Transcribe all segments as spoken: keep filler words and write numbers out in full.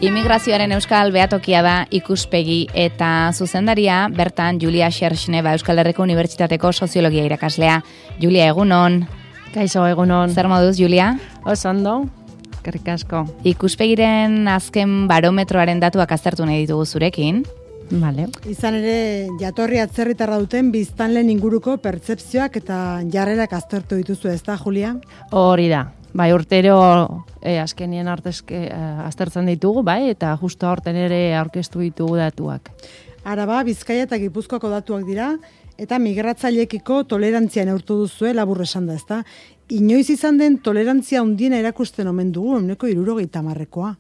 Immigrazioaren euskal behatokia da ikuspegi eta zuzendaria bertan Julia Xerxneva Euskal Herriko Unibertsitateko soziologia irakaslea. Julia, egunon. Kaixo, egunon. Zer moduz, Julia? Oso ondo, eskerrik asko. Ikuspegiren azken barometroaren datuak aztertu nahi ditugu zurekin. Vale. Izan ere, jatorri atzerritarra duten biztanleen inguruko pertzepzioak eta jarrerak aztertu dituzu, ezta, Julia? Hori da. Bai, urtero eh, azkenien artezke eh, aztertzen ditugu, bai, eta justo aurten ere aurkeztu ditugu datuak. Araba, Bizkaia eta Gipuzkoako datuak dira, eta migratzaileekiko tolerantzia neurtu duzue, labur esan da, ezta? Inoiz izan den tolerantzia handiena erakusten omen dugu, ehuneko hirurogeita hamarrekoa.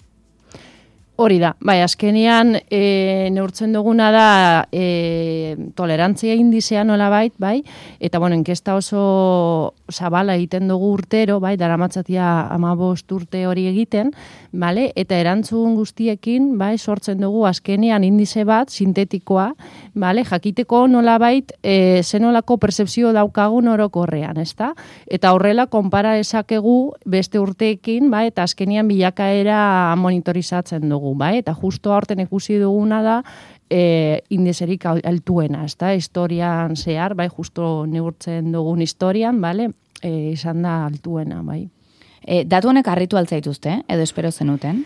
Hori da, bai, azkenean e, neurtzen duguna da e, tolerantzia indizea nolabait, bai, eta bueno, inkesta oso zabala egiten dugu urtero, bai, daramatzatia hamabost urte hori egiten, bale, eta erantzun guztiekin, bai, sortzen dugu azkenean indize bat, sintetikoa, bale, jakiteko nolabait e, zenolako percepzio daukagun orokorrean, ezta? Eta horrela konpara esakegu beste urteekin, bai, eta azkenean bilakaera monitorizatzen dugu. Bai, eta justo aurten ikusi duguna da e, indizerik altuena, ezta? Historian zehar, bai, justo neurtzen dugun historian, bale, e, izan da altuena, bai. E, datu honek harritu altzaituzte, edo espero zenuten?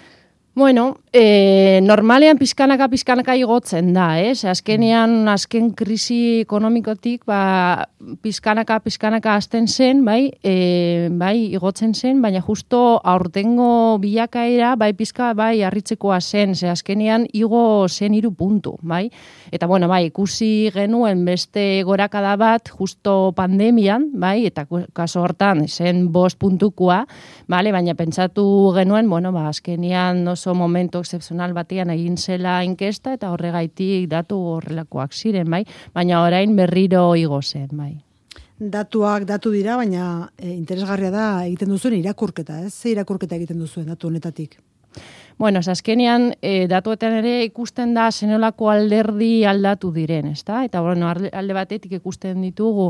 Bueno, e, normalean pizkanaka pizkanaka igotzen da, ez? Azkenean, azken krisi ekonomikotik, ba, pizkanaka pizkanaka hasten zen, bai, e, bai, igotzen zen, baina justo aurtengo bilakaera, bai, pizka, bai, harritzekoa zen, ze azkenean igo zen hiru puntu, bai? Eta, bueno, bai, ikusi genuen beste gorakada bat, justo pandemian, bai, eta kaso hortan, zen bost puntukoa, bale, baina pentsatu genuen, bueno, ba, azkenean oso momentu excepcional batean egin zela inkesta eta horregaitik datu horrelakoak ziren, bai, baina orain berriro igo zen, bai. Datuak datu dira, baina e, interesgarria da egiten duzuen irakurketa, ez? Ze irakurketa egiten duzuen datu honetatik? Bueno, azkenean e, datuetan ere ikusten da zenolako alderdi aldatu diren, ezta? Eta bueno, alde batetik ikusten ditugu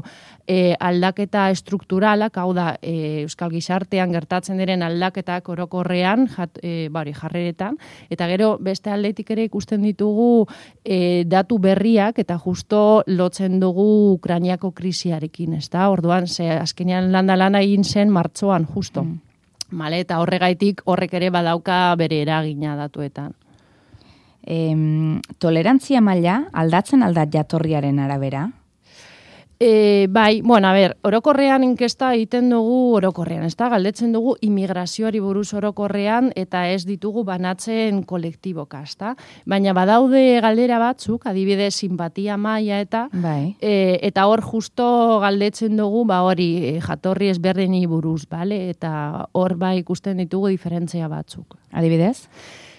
e, aldaketa estrukturalak, hau da, e, euskal gizartean gertatzen diren aldaketak orokorrean, jat, e, bari, jarreretan, eta gero beste aldetik ere ikusten ditugu e, datu berriak, eta justo lotzen dugu Ukrainiako krisiarekin, ezta? Orduan, ze azkenean landa lana egin zen martxoan, justo. Mm. Male, eta horregaitik horrek ere badauka bere eragina datuetan. Em, tolerantzia maila aldatzen aldat jatorriaren arabera? E, bai, bueno, a ber, orokorrean inkesta egiten dugu orokorrean, ez da, galdetzen dugu immigrazioari buruz orokorrean eta ez ditugu banatzen kolektiboka, ez da? Baina badaude galdera batzuk, adibidez, simpatia maila eta bai. e, eta hor justo galdetzen dugu, ba hori, jatorri ezberdini buruz, bale? Eta hor bai ikusten ditugu diferentzia batzuk. Adibidez?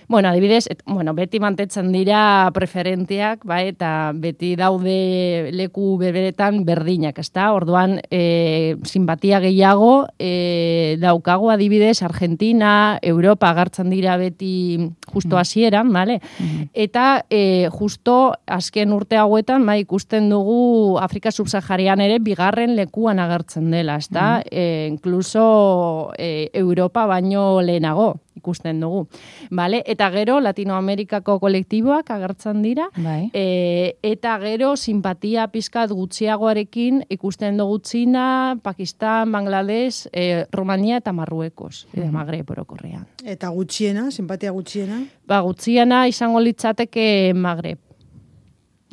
Bueno, adibidez, et, bueno, beti mantetzen dira preferenteak, bai, eta beti daude leku berberetan berdinak, ezta? Orduan, e, simpatia gehiago e, daukago adibidez Argentina, Europa agertzen dira beti justo hasieran, bale? Mm-hmm. Eta e, justo azken urte hauetan, bai, ikusten dugu Afrika subsaharian ere bigarren lekuan agertzen dela, ezta? Mm-hmm. E, incluso e, Europa baino lehenago ikusten dugu. Vale? Eta gero Latinoamerikako kolektiboak agertzen dira, bai. e, eta gero simpatia pizkat gutxiagoarekin ikusten dugu Txina, Pakistan, Bangladesh, e, Romania eta Marruekos, mm-hmm. Magreb orokorrean. Eta gutxiena, simpatia gutxiena? Ba, gutxiena izango litzateke Magreb.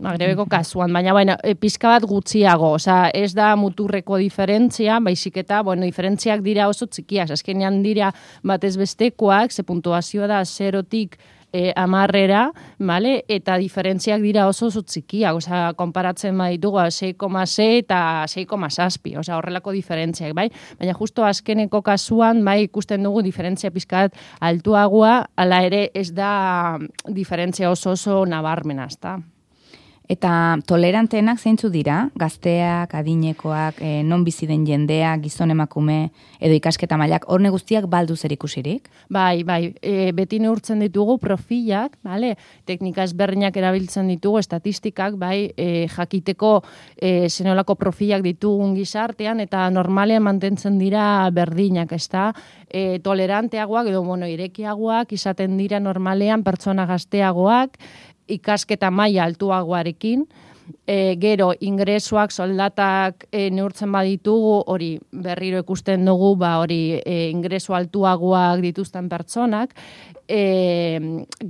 Magrebeko kasuan, baina bueno, pizka bat gutxiago, osea, ez da muturreko diferentzia, baizik eta, bueno, diferentziak dira oso txikiak, azkenean dira batez bestekoak, ze puntuazioa da zerotik e, amarrera, vale? Eta diferentziak dira oso oso txikiak, osea, konparatzen baditugu sei koma sei eta sei koma zazpi, osea, horrelako diferentziak, bai? Baina justo azkeneko kasuan, bai, ikusten dugu diferentzia pizkat altuagoa, hala ere ez da diferentzia oso oso nabarmena, ezta? Eta toleranteenak zeintzu dira? Gazteak, adinekoak, e, non bizi den jendea, gizon emakume, edo ikasketa mailak, horne guztiak baldu zer ikusirik? Bai, bai, e, beti neurtzen ditugu profilak, vale? Teknika ezberdinak erabiltzen ditugu, estatistikak, bai, e, jakiteko e, zenolako profilak ditugun gizartean, eta normalean mantentzen dira berdinak, ezta? E, toleranteagoak, edo bueno, irekiagoak, izaten dira normalean pertsona gazteagoak, ikasketa maila altuagoarekin, e, gero ingresuak, soldatak e, neurtzen baditugu, hori berriro ikusten dugu, ba hori e, ingresu altuagoak dituzten pertsonak, e,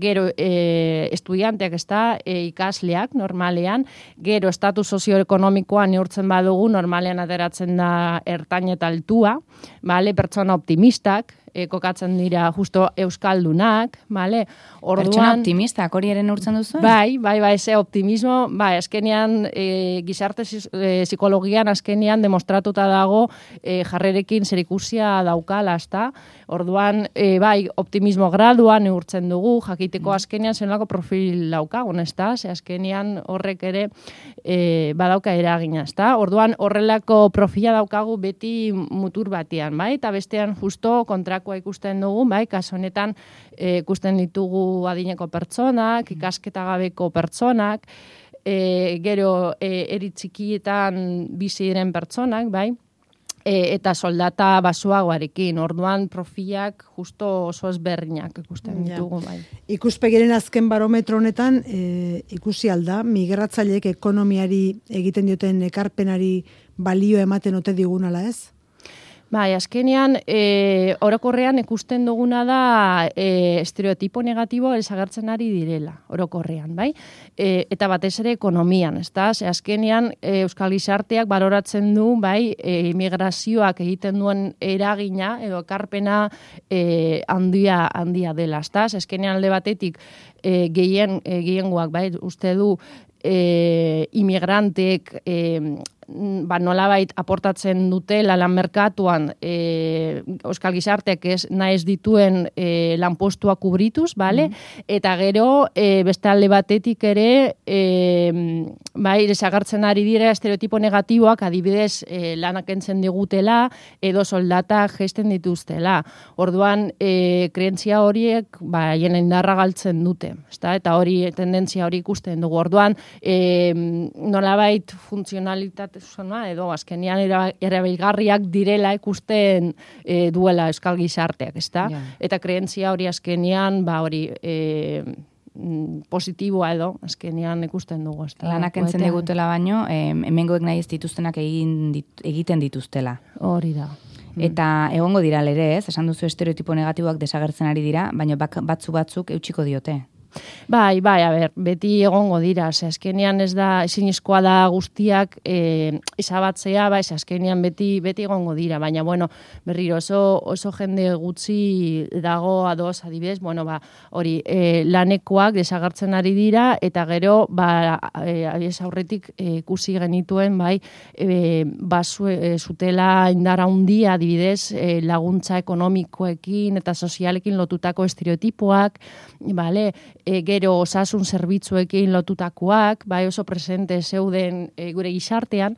gero e, estudianteak, ez da, e, ikasleak normalean, gero estatus sozioekonomikoa neurtzen badugu, normalean ateratzen da ertain eta altua, vale? Pertsona optimistak, E, kokatzen dira justo euskaldunak, vale? Orduan, pertsona optimistak, hori ere neurtzen duzu? Bai, bai, bai, ze optimismo, bai, azkenean e, gizarte e, psikologian azkenean demostratuta dago e, jarrerekin zerikusia daukala, ezta? Orduan, e, bai, optimismo gradua neurtzen dugu, jakiteko azkenean zenolako profil daukagun, ezta? Ze azkenean horrek ere e, badauka eragina, ezta? Orduan, horrelako profila daukagu beti mutur batean, bai? Eta bestean justo kontra ikusten dugu, bai, kasu honetan e, ikusten ditugu adineko pertsonak, ikasketa gabeko pertsonak, e, gero e, eritzikietan bizi diren pertsonak, bai, e, eta soldata basuagoarekin, orduan profilak justo oso ezberdinak ikusten ditugu, bai. Ikuspegiren azken barometro honetan, e, ikusi alda, migratzaileek ekonomiari egiten dioten ekarpenari balio ematen ote digunala, ez? Bai, azkenean, e, orokorrean ikusten duguna da e, estereotipo negatibo ezagertzen ari direla, orokorrean, bai? E, eta batez ere ekonomian, ezta? Ze azkenean, e, Euskal Gizarteak baloratzen du, bai, e, immigrazioak egiten duen eragina edo ekarpena e, handia handia dela, ezta? Ze azkenean alde batetik e, gehien e, gehiengoak, bai, uste du e, immigrantek e, ba, nolabait aportatzen dutela lan merkatuan e, Euskal Gizarteak ez naiz dituen e, lanpostuak kubrituz, bale? Mm. Eta gero e, beste alde batetik ere e, bai, desagertzen ari dira estereotipo negatiboak, adibidez e, lanak entzen digutela edo soldatak gesten dituztela. Orduan, e, kreentzia horiek ba, hien indarra galtzen dute, ezta? Eta hori tendentzia hori ikusten dugu. Orduan, e, nolabait funtzionalitate zona, edo azkenean erabilgarriak direla ikusten e, duela Euskal Gizarteak, ezta? Yeah. Eta kreentzia hori azkenean, ba hori e, positiboa edo azkenean ikusten dugu, ezta? Lanak entzen digutela baino, e, hemengoek nahi ez dituztenak egin dit, egiten dituztela. Hori da. Eta egongo dira ere, ez? Esan duzu estereotipo negatiboak desagertzen ari dira, baina batzu batzuk eutxiko diote. Bai, bai, a ber, beti egongo dira, ze azkenean ez da, ezinezkoa da guztiak e, izabatzea, bai, ze azkenean beti, beti egongo dira, baina, bueno, berriro oso, oso jende gutxi dago ados, adibidez, bueno, ba, hori, e, lanekoak desagertzen ari dira, eta gero, ba, e, abiez aurretik e, ikusi genituen, bai, e, basu, e, zutela indara handia, adibidez, e, laguntza ekonomikoekin eta sozialekin lotutako estereotipoak, bale, E, gero osasun zerbitzuekin lotutakoak, bai oso presente zeuden e, gure gizartean,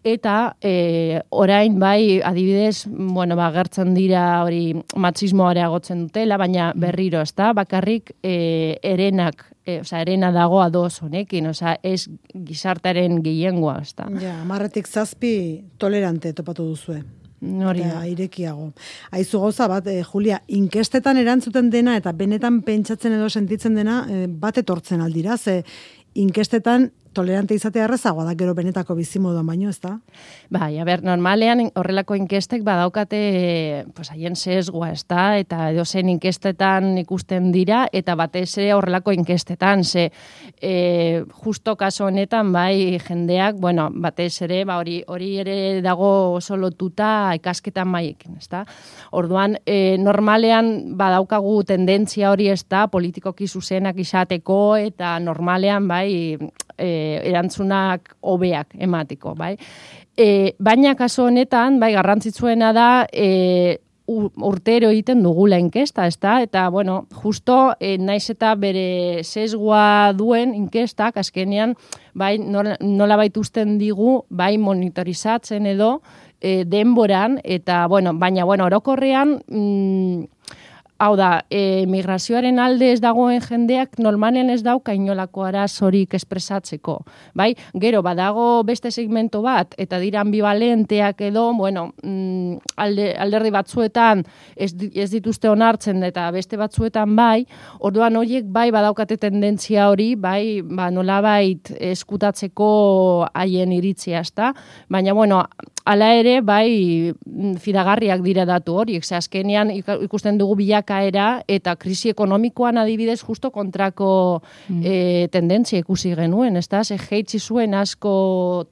eta e, orain bai adibidez, bueno, ba, gertzen dira hori matxismoa areagotzen dutela, baina berriro, ezta? Bakarrik e, erenak, e, osea, erena dago ados honekin, osea, ez gizartearen gehiengoa, ezta? Ja, marretik zazpi tolerante topatu duzue. Hori da. Irekiago. Aizu gauza bat, eh, Julia, inkestetan erantzuten dena eta benetan pentsatzen edo sentitzen dena eh, bat etortzen aldira, ze inkestetan tolerante izatea errezagoa da gero benetako bizimoduan baino, ez da? Bai, a ber, normalean horrelako inkestek badaukate pues, haien sesgoa, ez da? Eta edo zen inkestetan ikusten dira, eta batez ere horrelako inkestetan, ze e, justo kaso honetan, bai, jendeak, bueno, batez ere, ba, hori, hori ere dago oso lotuta ikasketan maiekin, ez da? Orduan, e, normalean badaukagu tendentzia hori, ez da, politikoki zuzenak izateko, eta normalean, bai, e, erantzunak hobeak emateko, bai. E, baina kaso honetan, bai, garrantzitsuena da, e, urtero egiten dugula inkesta, ezta? Eta, bueno, justo, e, naiz eta bere sesgoa duen inkestak, azkenean, bai, nola baituzten digu, bai, monitorizatzen edo, e, denboran, eta, bueno, baina, bueno, orokorrean, mm, hau da, e, migrazioaren alde ez dagoen jendeak normalen ez dauka inolako arazorik espresatzeko. Bai? Gero, badago beste segmento bat, eta dira ambivalenteak edo, bueno, mm, alde, alderdi batzuetan ez, ez dituzte onartzen, eta beste batzuetan bai, orduan horiek bai badaukate tendentzia hori, bai, ba, nolabait eskutatzeko haien iritzia, ezta? Baina, bueno, hala ere, bai, fidagarriak dira datu horiek, ze azkenean ikusten dugu bilakaera eta krisi ekonomikoan adibidez justo kontrako mm. e, tendentzia ikusi genuen, ezta? Ze jeitsi zuen asko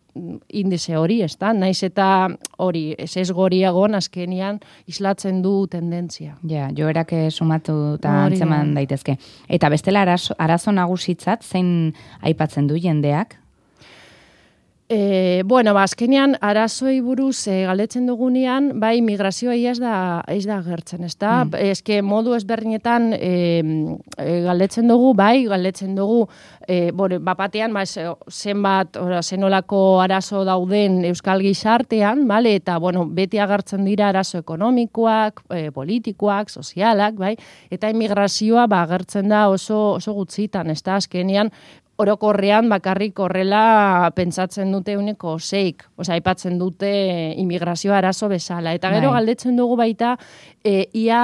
indize hori, ezta? Naiz eta hori, ez goriagon azkenean islatzen du tendentzia. Ja, joerak sumatu eta antzeman daitezke. Eta bestela arazo, arazo nagusitzat, zein aipatzen du jendeak? E, bueno, ba, azkenean, arazoei buruz e, galdetzen dugunean, bai, migrazioa ez da, ez da gertzen, ez da? Mm. Ezke modu ezberdinetan e, e, galdetzen dugu, bai, galdetzen dugu, e, bore, bapatean, ba, zenbat, ora, zenolako arazo dauden euskal gizartean, bale? Eta, bueno, beti agertzen dira arazo ekonomikoak, e, politikoak, sozialak, bai? Eta emigrazioa, ba, agertzen da oso, oso gutxitan, ez da? Azkenean, orokorrean bakarrik horrela pentsatzen dute uneko seik, osea, aipatzen dute immigrazioa arazo bezala. Eta gero galdetzen dugu baita, e, ia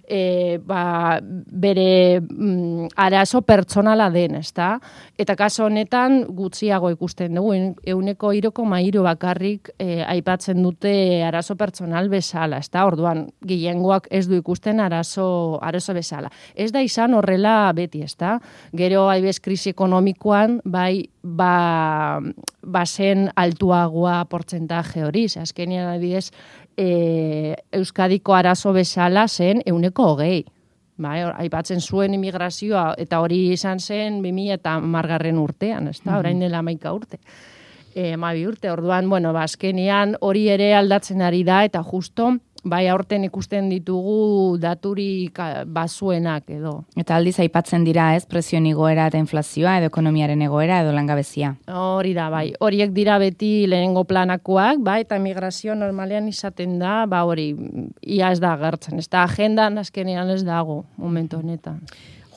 e, ba, bere mm, arazo pertsonala den, ezta? Eta kaso honetan gutxiago ikusten dugu, euneko hiru koma hiru bakarrik e, aipatzen dute arazo pertsonal bezala, ezta? Orduan, gehiengoak ez du ikusten arazo, arazo bezala. Ez da izan horrela beti, ezta? Gero, haibez, krisi ekonomikoan, bai, ba, bazen altuagoa portzentaje hori, ze azkenean adibidez, e, Euskadiko arazo bezala zen euneko hogei. Bai, aipatzen zuen immigrazioa, eta hori izan zen bi mila hamargarren urtean, ez da, orain dela hamaika urte. E, hamabi urte, orduan, bueno, ba, azkenean hori ere aldatzen ari da, eta justo, bai, aurten ikusten ditugu daturik bazuenak edo. Eta aldiz aipatzen dira, ez, prezioen igoera eta inflazioa, edo ekonomiaren egoera, edo langabezia. Hori da, bai. Horiek dira beti lehenengo planakoak, bai, eta migrazio normalean izaten da, ba, hori, ia ez da agertzen. Ez da agendan azkenean ez dago, momentu honetan.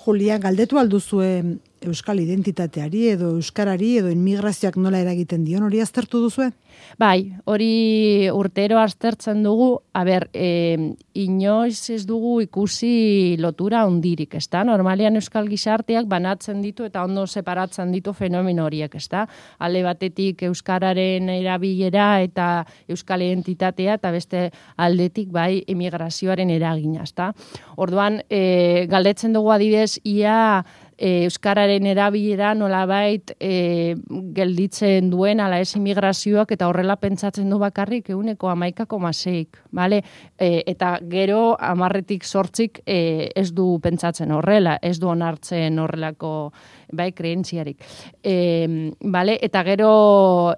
Julia, galdetu alduzue euskal identitateari edo euskarari edo inmigrazioak nola eragiten dion, hori aztertu duzue? Bai, hori urtero aztertzen dugu, a ber, e, inoiz ez dugu ikusi lotura hondirik, ez da? Normalean euskal gizarteak banatzen ditu eta ondo separatzen ditu fenomeno horiek, ez da? Alde batetik euskararen erabilera eta euskal identitatea, eta beste aldetik bai emigrazioaren eragina, ez da? Orduan, e, galdetzen dugu adibidez, ia E, euskararen erabilera nolabait e, gelditzen duen ala ez immigrazioak eta horrela pentsatzen du bakarrik euneko hamaika koma seik, bale? E, eta gero hamarretik zortzik e, ez du pentsatzen horrela, ez du onartzen horrelako bai kreentziarik. E, bale? Eta gero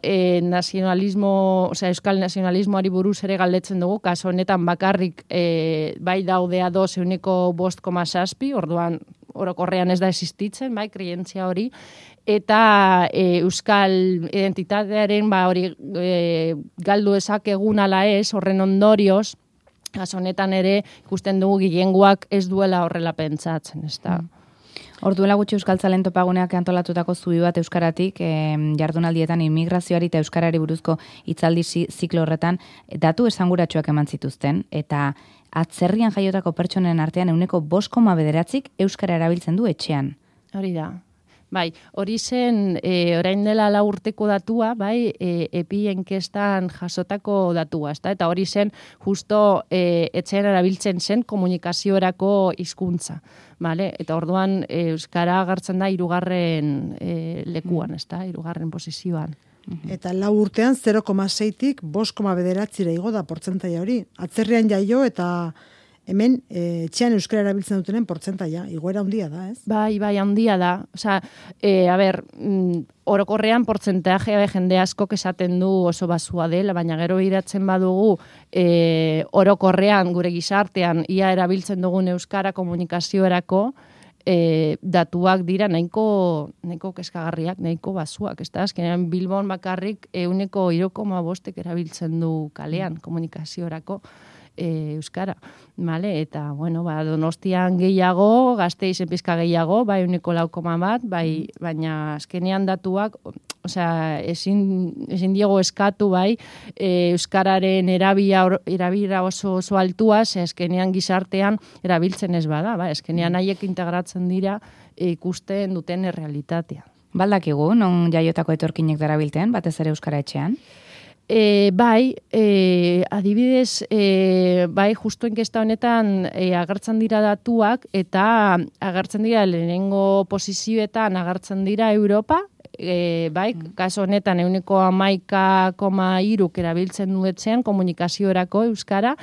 e, nazionalismo, osea, euskal nazionalismoari buruz ere galdetzen dugu, kaso honetan bakarrik e, bai daudea doz euneko bost koma zazpi, orduan orokorrean ez da existitzen, bai, krientzia hori, eta e, euskal identitatearen, ba, hori e, galdu ezakegun ala ez, horren ondorioz, kaso honetan ere ikusten dugu gehiengoak ez duela horrela pentsatzen, ez da. Orduela gutxi Euskaltzalen topaguneak antolatutako zubi bat euskaratik, eh, jardunaldietan immigrazioari eta euskarari buruzko hitzaldi ziklo horretan datu esanguratsuak eman zituzten, eta atzerrian jaiotako pertsonen artean euneko bost koma bederatzik euskara erabiltzen du etxean. Hori da. Bai, hori zen, e, orain dela lau urteko datua, bai, e, epi enkestan jasotako datua, ezta? Eta hori zen, justo e, etxean erabiltzen zen komunikaziorako hizkuntza, bale? Eta orduan e, euskara agertzen da hirugarren e, lekuan, ezta? Hirugarren posizioan. Eta lau urtean zero koma seitik bost koma bederatzira igo da portzentaia hori. Atzerrian jaio eta hemen e, etxean euskara erabiltzen dutenen portzentaia, igoera handia da, ez? Bai, bai, handia da. Osea, e, a ber, mm, orokorrean portzentaje jende askok esaten du oso basua dela, baina gero iratzen badugu e, orokorrean gure gizartean ia erabiltzen dugun euskara komunikaziorako, e, datuak dira nahiko, nahiko keskagarriak, nahiko basuak. Ez da, azkenean Bilbon bakarrik euneko hiru koma bostek erabiltzen du kalean komunikaziorako e, euskara. Vale? Eta, bueno, ba, Donostian gehiago, Gasteizen pizka gehiago, bai euneko lau koma bat, bai, baina azkenean datuak, osea, ezin, ezin diego eskatu, bai, e, euskararen erabia, erabira oso, oso altua, ze azkenean gizartean erabiltzen ez bada, bai, azkenean haiek integratzen dira e, ikusten duten errealitatea. Baldakigu, non jaiotako etorkinek darabilten, batez ere euskara etxean? E, bai, e, adibidez, e, bai, justu enkesta honetan e, agertzen dira datuak, eta agertzen dira lehenengo posizioetan agertzen dira Europa, e, bai, kaso honetan euneko hamaika koma hiruk erabiltzen duetzean komunikaziorako euskara,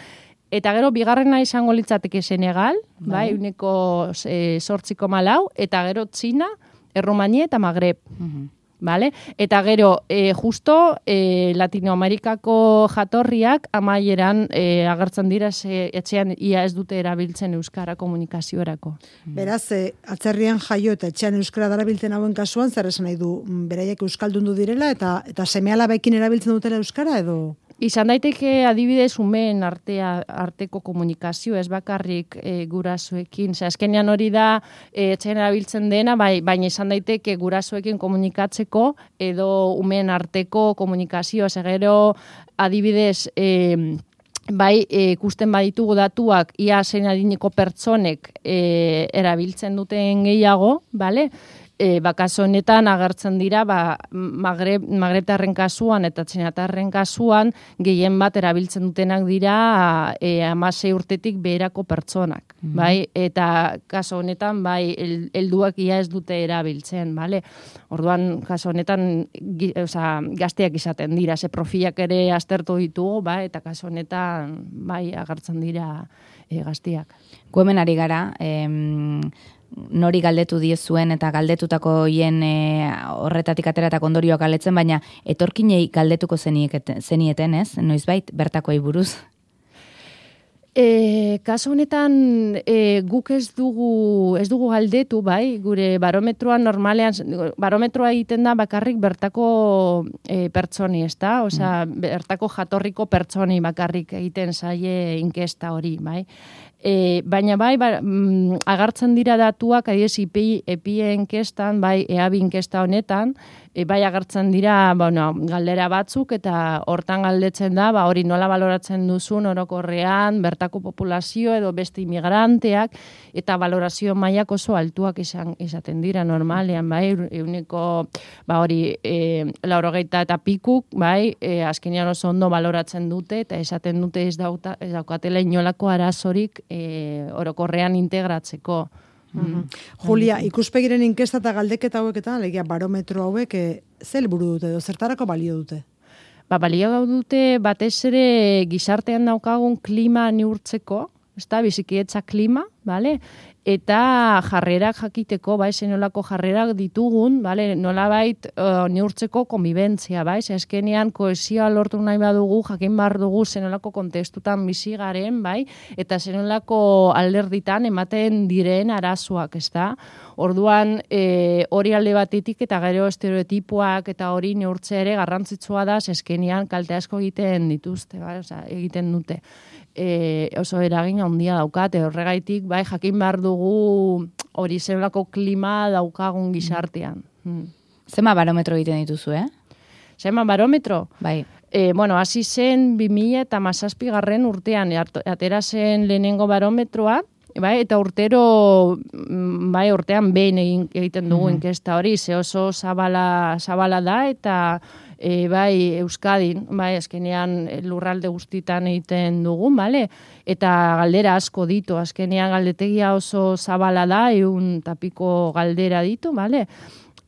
eta gero bigarrena izango litzateke Senegal, bai, euneko e, zortzi koma lau, eta gero Txina, Errumania eta Magreb. Uh-huh. Vale? Eta gero, e, justo e, Latinoamerikako jatorriak amaieran e, agertzen dira ze, etxean ia ez dute erabiltzen euskara komunikaziorako. Beraz, e, atzerrian jaio eta etxean euskara darabiltzen hauen kasuan, zer esan nahi du, beraiek euskaldundu direla eta eta seme-alabekin erabiltzen dutela euskara edo? Izan daiteke adibidez umeen artea, arteko komunikazio, ez bakarrik e, gurasoekin. Zer, azkenean hori da e, etxean erabiltzen dena, bai, baina izan daiteke gurasoekin komunikatzeko edo umeen arteko komunikazio. Zer, gero adibidez e, bai, ikusten baditugu datuak ia zein adineko pertsonek e, erabiltzen duten gehiago, bale? E, bakaso honetan agertzen dira ba, Magreb, Magrebtarren kasuan eta Txinatarren kasuan gehien bat erabiltzen dutenak dira e, hamasei urtetik beherako pertsonak. Mm-hmm. Bai? Eta kaso honetan bai, el, helduak ia ez dute erabiltzen. Bale? Orduan, kaso honetan gi, oza, gazteak izaten dira, ze profilak ere aztertu ditugu, bai? Eta kaso honetan bai, agertzen dira e, gazteak. Gu hemen ari gara, em... nori galdetu diezuen eta galdetutako hien e, horretatik ateratako ondorioak galdetzen, baina etorkinei galdetuko zenieten, zenieten ez? Noizbait, bertakoei buruz? E, kaso honetan e, guk ez dugu, ez dugu galdetu, bai, gure barometroa normalean, barometroa egiten da bakarrik bertako e, pertsoni, ez da? Osea, mm. bertako jatorriko pertsoni bakarrik egiten zaie inkesta hori, bai? E, baina bai, ba, mm, agartzen dira datuak, adiez, epi, epi enkestan, bai, eabi inkesta honetan, e, bai agartzen dira, bueno, galdera batzuk, eta hortan galdetzen da, ba, hori nola baloratzen duzun orokorrean, bertako populazio edo beste imigranteak, eta balorazio mailak oso altuak izan, izaten dira normalean, bai, euneko, ba, hori, e, laurogeita eta pikuk, bai, e, azkenean oso ondo baloratzen dute, eta esaten dute ez, dauta, ez daukatela inolako arazorik E, orokorrean integratzeko. Mm-hmm. Julia, ikuspegiren inkesta eta galdeketa hauek eta alegia barometro hauek e, zer helburu dute edo zertarako balio dute? Ba, balio dute batez ere gizartean daukagun klima neurtzeko, ezta bizikietza klima, bale? Eta jarrerak jakiteko, bai, zenolako jarrerak ditugun, bale, nolabait uh, neurtzeko konbibentzia, bai, zezkenean koesioa lortu nahi badugu, jakin behar dugu zenolako kontestutan bizi garen, bai, eta zenolako alderditan ematen diren arazoak, ez da? Orduan, e, hori alde batetik eta gero estereotipoak eta hori neurtzea ere garrantzitsua da, zezkenean kalte asko egiten dituzte, bai, oza, egiten dute. E, oso eragin handia daukate, horregaitik, bai, jakin behar dugu hori zenolako klima daukagun gizartean. Hmm. Zema barometro egiten dituzu, eh? Zema barometro? Bai. E, bueno, hasi zen bi mila eta hamazazpi garren urtean, atera zen lehenengo barometroa, bai, eta urtero, bai, urtean behin egiten dugu mm-hmm. inkesta hori, ze oso zabala, zabala da, eta e, bai, Euskadin, bai, azkenean lurralde guztitan egiten dugu, bale? Eta galdera asko ditu, azkenean galdetegia oso zabala da, eun tapiko galdera ditu, bale?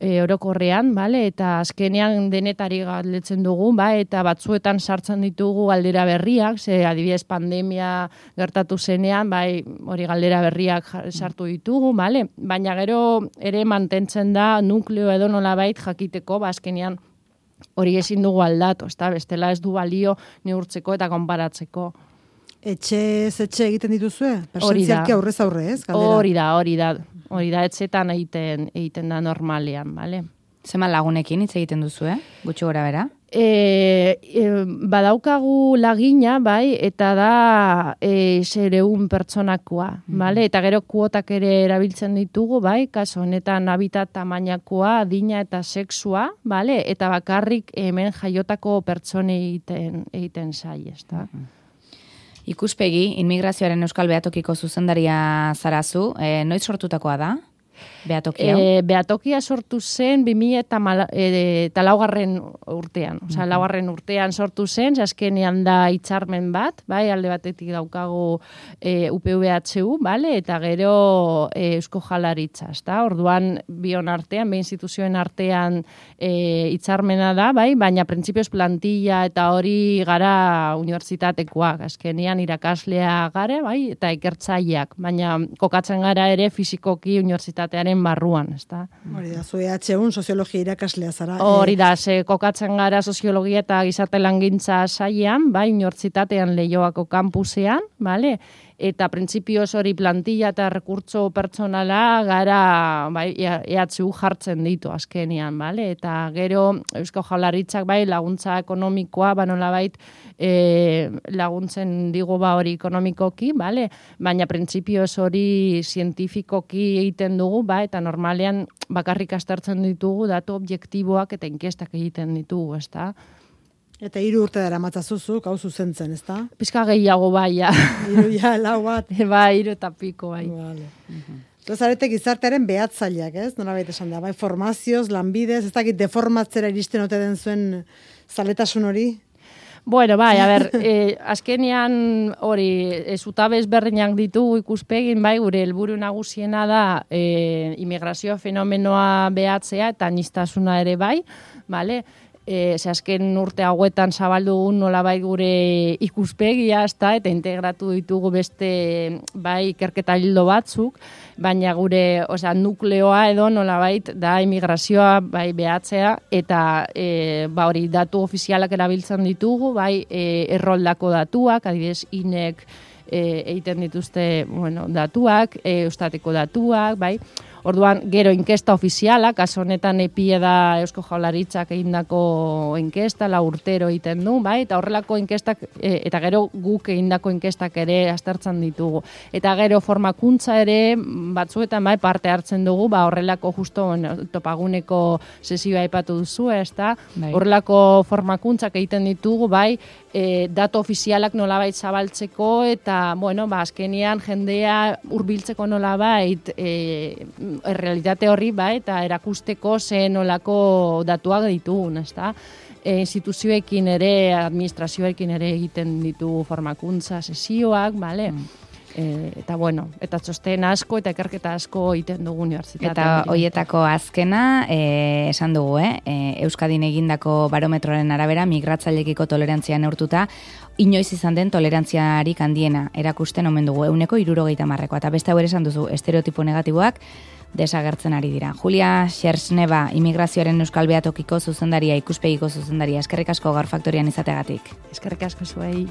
E, orokorrean, bale? Eta azkenean denetari galdetzen dugu, bai, eta batzuetan sartzen ditugu galdera berriak, ze adibidez pandemia gertatu zenean, bai, hori galdera berriak sartu ditugu, bale? Baina gero ere mantentzen da nukleo edo nolabait jakiteko, ba, azkenean hori ezin dugu aldatu, ezta? Bestela ez du balio neurtzeko eta konparatzeko. Etxe ez etxe egiten dituzue? Persentzialki aurrez aurre, ez? Galdera. Hori da, hori da. Hori da, etxetan egiten, egiten da normalean, bale? Zeman lagunekin hitz egiten duzu, eh? Gutxi gora bera? E, e, badaukagu lagina, bai, eta da e, zereun pertsonakoa, mm. bale? Eta gero kuotak ere erabiltzen ditugu, bai? Kaso honetan habitat tamainakoa, adina eta sexua, bale? Eta bakarrik hemen jaiotako pertsone egiten, egiten zai, ez da? Mm. Ikuspegi, inmigrazioaren Euskal Beatokiko zuzendaria zarazu, e, noiz sortutakoa da? Beatokia? E, beatokia sortu zen bi mila eta laugarren urtean. Osa, mm-hmm. laugarren urtean sortu zen, azkenean da hitzarmen bat, bai, alde batetik daukagu e, U P V H U, bale, eta gero e, Eusko Jaurlaritza, ezta? Orduan bion artean, bi instituzioen artean hitzarmena e, da, bai, baina printzipioz plantilla eta hori gara unibertsitatekoak, azkenean irakaslea gare, bai, eta ikertzaileak, baina kokatzen gara ere fisikoki unibertsitatean tearen barruan, ezta? Hori da, zu E H U soziologia irakaslea zara. Hori da, ze kokatzen gara soziologia eta gizarte langintza sailean, bai, unibertsitatean Leioako kampusean, bale? Eta printzipioz hori plantilla eta rekurtso pertsonala gara, bai, E H U jartzen ditu azkenean, bale? Eta gero Eusko Jaurlaritzak bai laguntza ekonomikoa, ba nolabait e, laguntzen digu ba hori ekonomikoki, bale? Baina printzipioz hori zientifikoki egiten dugu, ba, eta normalean bakarrik aztertzen ditugu datu objektiboak eta inkestak egiten ditugu, ezta? Eta hiru urte dara matzazuzuk, hau zuzentzen, ezta? Pizka gehiago bai, ja. Hiru ja, lau bat. Bai, hiru eta piko, bai. Vale. Uh-huh. Zarete gizartearen behatzaileak, ez? Nolabait esan da, bai, formazioz, lanbidez, ez dakit deformatzera iristen ote den zuen zaletasun hori? Bueno, bai, a ber, eh, azkenean hori, zutabe ezberdinak ditugu ikuspegin, bai, gure helburu nagusiena da eh, immigrazio fenomenoa behatzea eta aniztasuna ere bai, bale? E, ze azken urte hauetan zabaldu nolabait gure ikuspegia, ezta, eta integratu ditugu beste bai ikerketa hildo batzuk, baina gure, osea, nukleoa edo nolabait da immigrazioa bai behatzea eta e, ba hori datu ofizialak erabiltzen ditugu, bai e, erroldako datuak, adibidez inek e, egiten dituzte, bueno, datuak, e, Eustateko datuak, bai. Orduan, gero inkesta ofizialak, kaso honetan epie da Eusko Jaurlaritzak egindako inkesta, la urtero egiten du, bai? Eta horrelako inkestak, e, eta gero guk egindako inkestak ere aztertzen ditugu. Eta gero formakuntza ere batzuetan bai parte hartzen dugu, ba horrelako justo bueno, topaguneko sesioa aipatu duzu, ezta? Bai. Horrelako formakuntzak egiten ditugu, bai, e, datu ofizialak nolabait zabaltzeko eta, bueno, ba azkenean jendea hurbiltzeko nolabait e, errealitate horri, ba, eta erakusteko ze nolako datuak ditugun, ezta? E, instituzioekin ere, administrazioekin ere egiten ditugu formakuntza sesioak, bale? Mm. E, eta bueno, eta txosten asko eta ikerketa asko egiten dugu unibertsitatean. Eta hoietako azkena, e, esan dugu, eh? E, Euskadin egindako barometroaren arabera, migratzaileekiko tolerantzia neurtuta, inoiz izan den tolerantziarik handiena erakusten omen dugu, euneko hirurogeita hamarrekoa. Eta beste hau ere esan duzu, estereotipo negatiboak desagertzen ari dira. Julia Xersneba, immigrazioaren Euskal Beatokiko zuzendaria, ikuspegiko zuzendaria. Eskerrik asko gaur faktorian izateagatik. Eskerrik asko zuei.